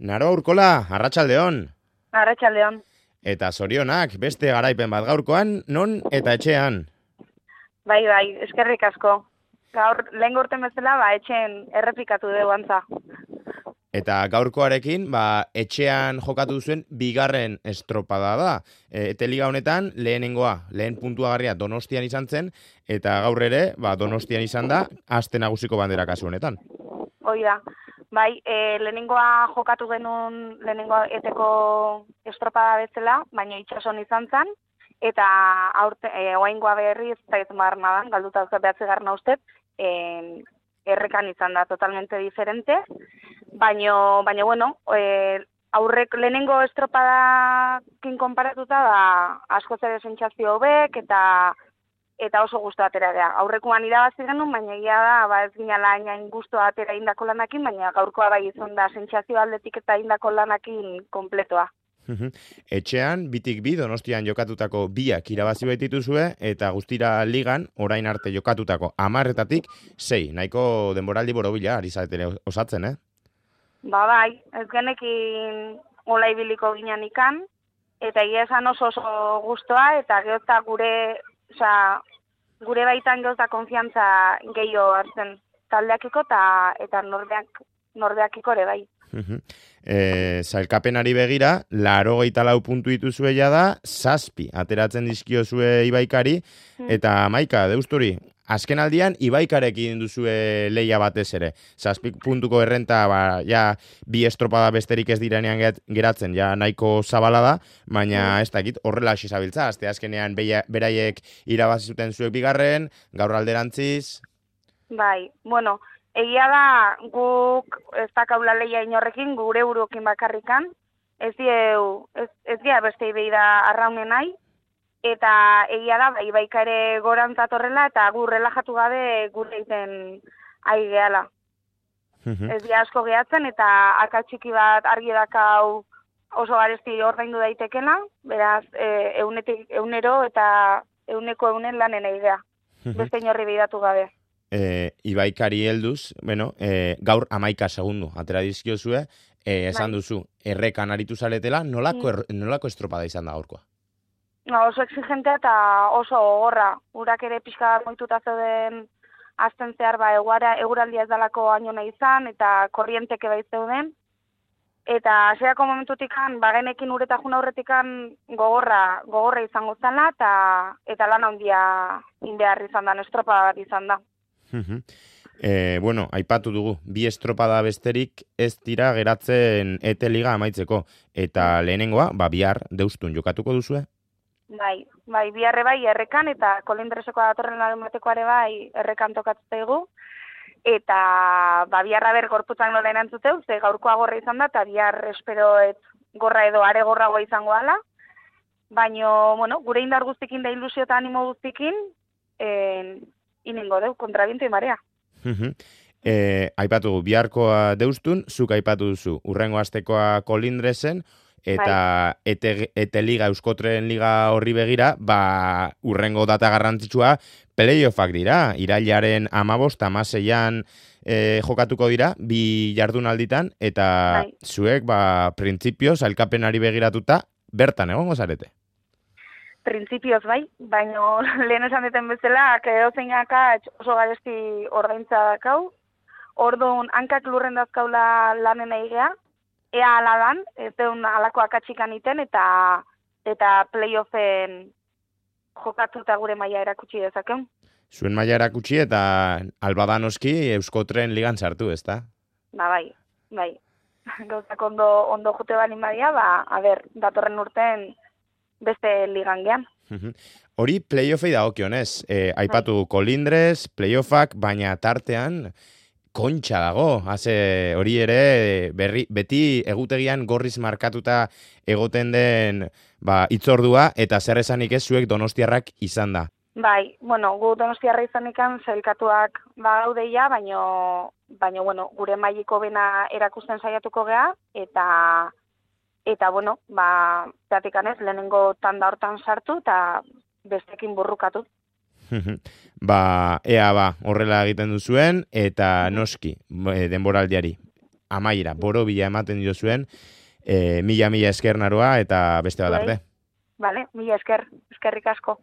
Naroa Urkola, arratsaldeon. Arratsaldeon. Eta zorionak, beste garaipen bat gaurkoan, non eta etxean. Bai, eskerrik asko. Gaur, lehen gorten bezala, etxeen errepikatu dugu antza. Eta gaurkoarekin, etxean jokatu zuen bigarren estropada da. Ete liga honetan, lehen puntuagarria Donostian izan zen, eta gaur ere, Donostian izan da, aste nagusiko bandera kasu honetan. Hoi da. Bai, lehenengoa jokatu genuen lehenengoa eteko estropada bezala, baina itxason izan zen, eta oaingoa berriz, eta ez marnadan, galduta behatzi garna ustez, errekan izan da totalmente diferente, baina bueno, aurrek lehenengo estropadakin konparatuta asko zer sentsazio hobek eta oso gustu atera da. Aurrekoan irabazi genuen, baina egia da, ez ginala hain gustu atera indako lanakin, baina gaurkoa bai izan da sentsazio aldetik eta indako lanakin kompletoa. Etxean, bitik bi Donostian jokatutako biak irabazi baitituzue, eta guztira ligan, orain arte jokatutako 10-etatik 6, nahiko denboraldi borobila, ari zaretere osatzen, Bai, ez genekin hola ibiliko ginen ikan, eta egia esan oso gustoa, eta gehozta gure baitan gehozta konfiantza gehiago hartzen taldeakiko eta norbeakiko ere bai. Zailkapenari begira, 84 puntu dituzue da, 7 ateratzen dizkiozue Ibaikari, eta Maika, deusturi, azken aldian Ibaikarekin duzue leia batez ere. 7 puntuko errenta, bi estropada besterik ez direnean geratzen, nahiko zabala da, baina ez dakit horrela hasi zabiltza, azte azkenean beraiek irabazi zuten zuek bigarren, gaur alderantziz. Bai, bueno, egia da guk ez dakaula leia inorrekin, gure buruekin bakarrikan, ez dia beste ibei da arraunen nahi, eta egia da, Ibaika ere gorantzat horrela, eta gu relajatu gabe gure egiten ari gehala. Ez dia asko gehatzen, eta akatxiki bat argi dakau oso garesti ordaindu daitekena, beraz, eunero eta euneko lanen ari gea, beste inorri behidatu gabe. Ibaikari helduz, gaur 11 segundu atera dizkiozue, esan duzu, errekan aritu zaretela, nolako estropada izan da gaurkoa? Oso exigentea eta oso gogorra. Urak ere pixka moituta zeuden azten zehar eguraldia ez dalako ainona izan eta korrienteke bai zeuden. Eta hasierako momentutikan, bagenekin ureta juna aurretikan gogorra izango zela eta lan handia inbehar izan da, estropada bat izan da. Aipatu dugu, bi estropada besterik ez dira geratzen ete liga amaitzeko. Eta lehenengoa, bihar deustun jokatuko duzue? Bai, biharre bai errekan eta kolindreseko datorren larunbatekoare bai errekan tokatzegu. Eta biharra gorputzak nola erantzuteu, ze gaurkoa gorra izan da, eta bihar espero gorra edo are gorragoa izango ala. Baina, gure indar guztikin da ilusio eta animo guztikin, inengo deu, kontra bintu imarea. Aipatu biharkoa deustun, zuk aipatu duzu, urrengo astekoa kolindresen, eta ete liga, Euskotren liga horri begira, urrengo data garrantzitsua playoffak dira, irailaren 15-16an jokatuko dira, bi jardunalditan, eta zuek, printzipioz, sailkapenari begiratuta, bertan egongo zarete. Printzipioz bai, baina lehen esan deten bezala, edozein oso garesti ordaintza dakau, orduan hankak lurren dazkaula lanen egea, ea aladan, ez deun alako akatxikan iten, eta playoffen jokatuta gure maila erakutsi dezakeun. Zuen maila erakutsi eta albadanoski Euskotren ligan sartu, ezta? Bai. Gauzak ondo jote balin badia, datorren urten beste ligan gean. Hori playoffei dagokionez, aipatu kolindrez, playoffak, baina tartean kontxa dago, hori ere beti egutegian gorriz markatuta egoten den itzordua, eta zer esanik ez zuek donostiarrak izan da. Bai, gu donostiarra izanikan zailkatuak gaudeia, baina gure mailiko bena erakusten saiatuko gea, eta zatikanez lehenengo tanda hortan sartu, eta bestekin burrukatu. Horrela egiten duzuen, eta noski denboraldiari amaiera, borobila ematen dio zuen, mila esker Naroa eta beste bat arte. Vale, mila eskerrik asko.